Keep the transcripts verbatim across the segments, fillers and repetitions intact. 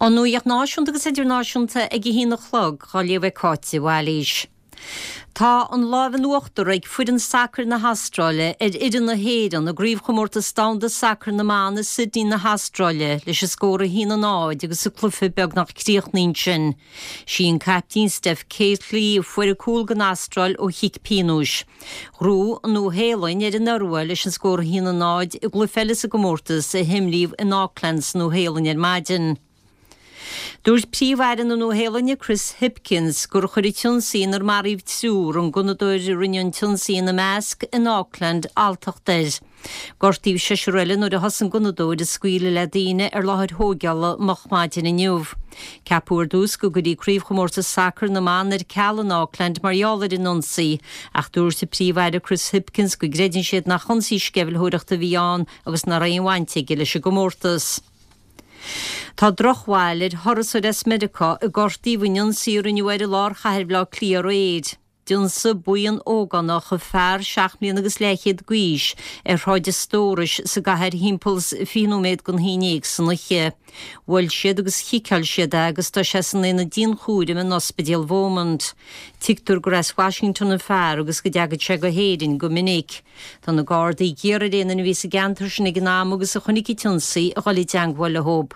An nuacht náisiúnta agus idirnáisiúnta ag a haon a chlog á léamh ag Cáit de Bhailís. Tá an lámh in uachtar ag foireann sacair na hAstráile ar fhoireann na hÉireann i gcraobhchomórtas domhanda sacair na mban i Sydney na hAstráile leis an scór a haon a náid agus an cluiche beagnach críochnaithe ansin. Sí an caiptín Steph Catley a fuair an cúl don Astráil ó chic pionóis. Ghnóthaigh an Nua-Shéalainn ar an Iorua leis an scór a haon a náid i gcluiche eile sa gcomórtas a himríodh in Auckland sa Nua-Shéalainn ar maidin. Dúirt Príomh-Aire na Nua-Shéalainne Chris Hipkins gur chuir an t-ionsaí inar maraíodh triúr an gunnadóir a rinne an t-ionsaí ina measc in Auckland alltacht air. Gortaíodh seisear eile nuair a thosaigh an gunnadóir ag scaoileadh le daoine ar láthair thógála moch maidin inniu. Ceapadh ar dtús go gcuirfí craobhchomórtas sacair na mban ar ceal in Auckland mar gheall ar an ionsaí, ach dúirt an Príomh-Aire Chris Hipkins go gcreideann siad nach ionsaí sceimhlitheoireachta a bhí ann agus nach raibh aon bhaint aige leis an gcomórtas. Tá drochbhail ar thurasóir as Meiriceá a gortaíodh in ionsaí a rinneadh air i lár chathair Bhaile Átha Cliath aréir. D'ionsaigh buíon ógánach fear seacht mbliana agus leathchéad d'aois ar Shráid an Stórais sa gcathair thimpeall fiche nóiméad don haon déag san oíche. Bhuail siad agus chiceáil siad é agus tá sé san aonad dianchúraim in Ospidéal Beaumont. Tuigtear gur as Washington an fear agus go dtagann sé go hÉirinn go minic. Tá na Gardaí ag iarraidh ar aon duine a bhí sa gceantar sin ag an am agus a chonaic an t-ionsaí a dhul i dteagmháil leo.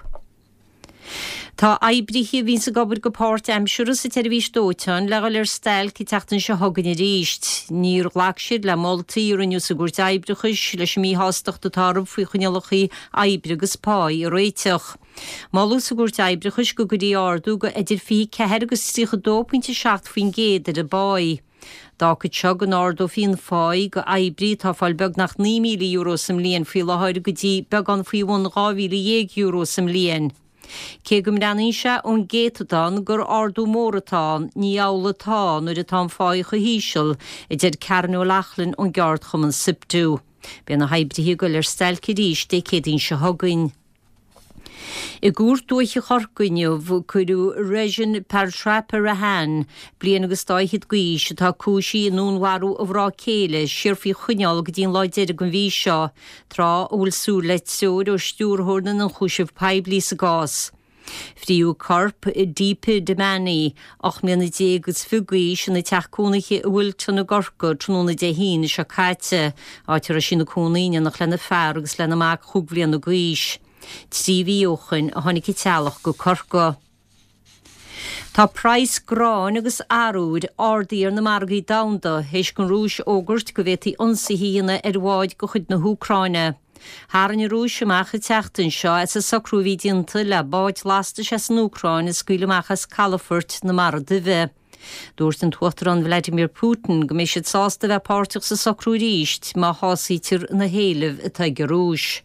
Tá oibrithe a bhíonns ag obair go páirtaimseartha sa tseirbhís dóiteáin le dhul ar stailc an tseachtain seo chugainn arís. Níor ghlac siad le moltaí a rinneadh sa gcúirt oibreachais leis an míshástacht atá orthu faoi choinníollacha oibre agus páí a réiteach. Moladh sa gcúirt oibreachais go gcuirfí ardú go idir fiche ceathair agus tríocha dó pointe seacht faoin gcéad ar an bpá. D'fhágfadh seo go n-ardófaí an phá go oibrí atá ag fáil beagnach naoi míle euro sa mbliain faoi láthair go dtí beagán faoi bhun dhá mhíle dhéag euro sa mbliain. Cé go mbreathnaíonn sé ón gcéatadán gur ardú mór atá ann, ní amhlaidh atá nuair atá an phá chomh híseal, a deir Karen O'Loughlin ón gceardchumann SIPTU. Beidh na hoibrithe ag dul ar stailc arís Dé Céadaoin seo chugainn. I gCúirt Dúiche Chorcaí inniu cuireadh Regin Partraparahan, bliain agus dá fhichead d'aois, atá cúisithe i ndúnmharú a mhná céile, siar faoi choinneáil go dtí an lá deiridh den mhí seo, tráth a bhfuil súil le treoir ó stiúrthóir na n-ionchúiseamh poiblí sa gcás. Fríodh corp Deepa Damani, ocht mbliana déag agus fiche d'aois, ina teach cónaithe i Wilton i gCorcaigh tráthnóna Dé hAoine seo caite, áit a raibh sí ina cónaí in éineacht lena fear agus lena mac chúig bhliana d'aois. Trí mhí ó shoin a tháinig an teaghlach go Corcaigh. Tá praghas gráin agus arbhair ardaithe ar na margaí domhanda théis don Rúis fhógairt go bhféadfaí ionsaithe a dhéanamh ar bháid de chuid na hÚcráine. Tharraing an Rúis amach an tseachtain seo as an socrú a bhí déanta le báid lastais as an Úcráin a scaoileadh amach as calafoirt na Mara Duibhe. Dúirt an tUachtarán Vladimir Putin go mbeidh siad sásta a bheith páirteach sa socrú arís má shásaítear na héilimh atá ag an Rúis.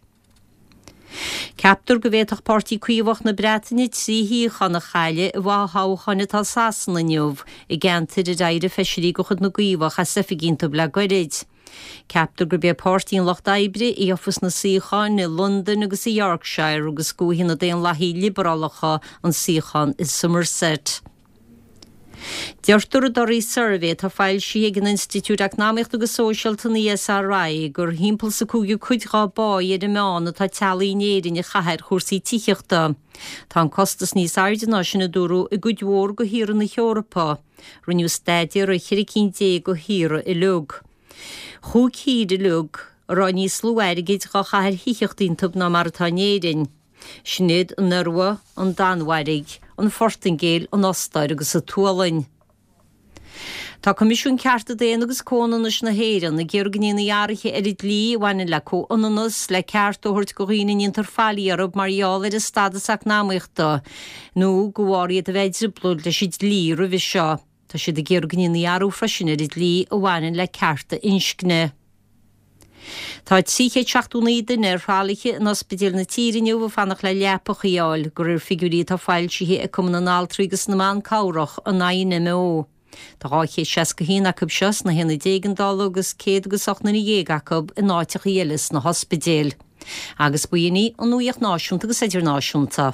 Ceaptar go bhféadfadh Páirtí Caomhach na Breataine trí shuíochán a chailleadh i bhfothoghcháin atá i Sasana inniu, i gceantair ar éirigh feisirí de chuid na gCaomhach as oifig iontu le goirid. Ceaptar gurb é Páirtí an Lucht Oibre a gheofas na suíocháin i Londain agus i Yorkshire agus go bhfaighidh na Daonlathaithe Liobrálacha an suíochán i Somerset. Deirtear i dtorthaí suirbhé atá foilsithe ag an Institiúid Eacnamaíochta agus Sóisialta an ESRI gur thimpeall sa cúigiú cuid dá bpá ar an meán atá teaghlaigh in Éirinn a chaitheamh ar chúrsaí tithíochta. Tá an costas níos airde ná sin a dúradh i gcuid mhór de thíortha na hEorpa. Rinneadh staidéar ar cheithre cinn déag de thíortha uilig. Chúig thír uilig a raibh níos lú airgid dhá chaitheamh ar thithíocht iontu ná mar atá in Éirinn. Sin iad an Iorua, an Danmhairg, an Phortaingéil, an Ostáir agus an tSualainn. Tá Coimisiún Cearta Daonna agus Comhionannais na hÉireann ag iarraidh go ndéanfaí athruithe ar an dlí a bhaineann le comhionannas, le cearta a thabhairt do dhaoine a ndéantar faillí orthu mar gheall ar a stádas eacnamaíochta nó de bharr iad a bheith i dtrioblóid leis an dlí roimhe seo. Tá siad ag iarraidh go ndéanfaí athrú freisin ar an dlí a bhaineann le cearta inscne. Tá trí chéad seachtó naoi duine ar thralaithe in ospidéil na tíre inniu ag fanacht le leapacha a fháil, de réir figiúirí atá foilsithe ag Cumann na nAltraí agus na mBan Cabhrach, an INMO. Tá dhá chéad seasca haon acu seo sna haonaid éigeandála agus céad agus ocht nduine dhéag acu in áiteacha eile sna hospidéil. Agus b'in í an nuacht náisiúnta agus idirnáisiúnta.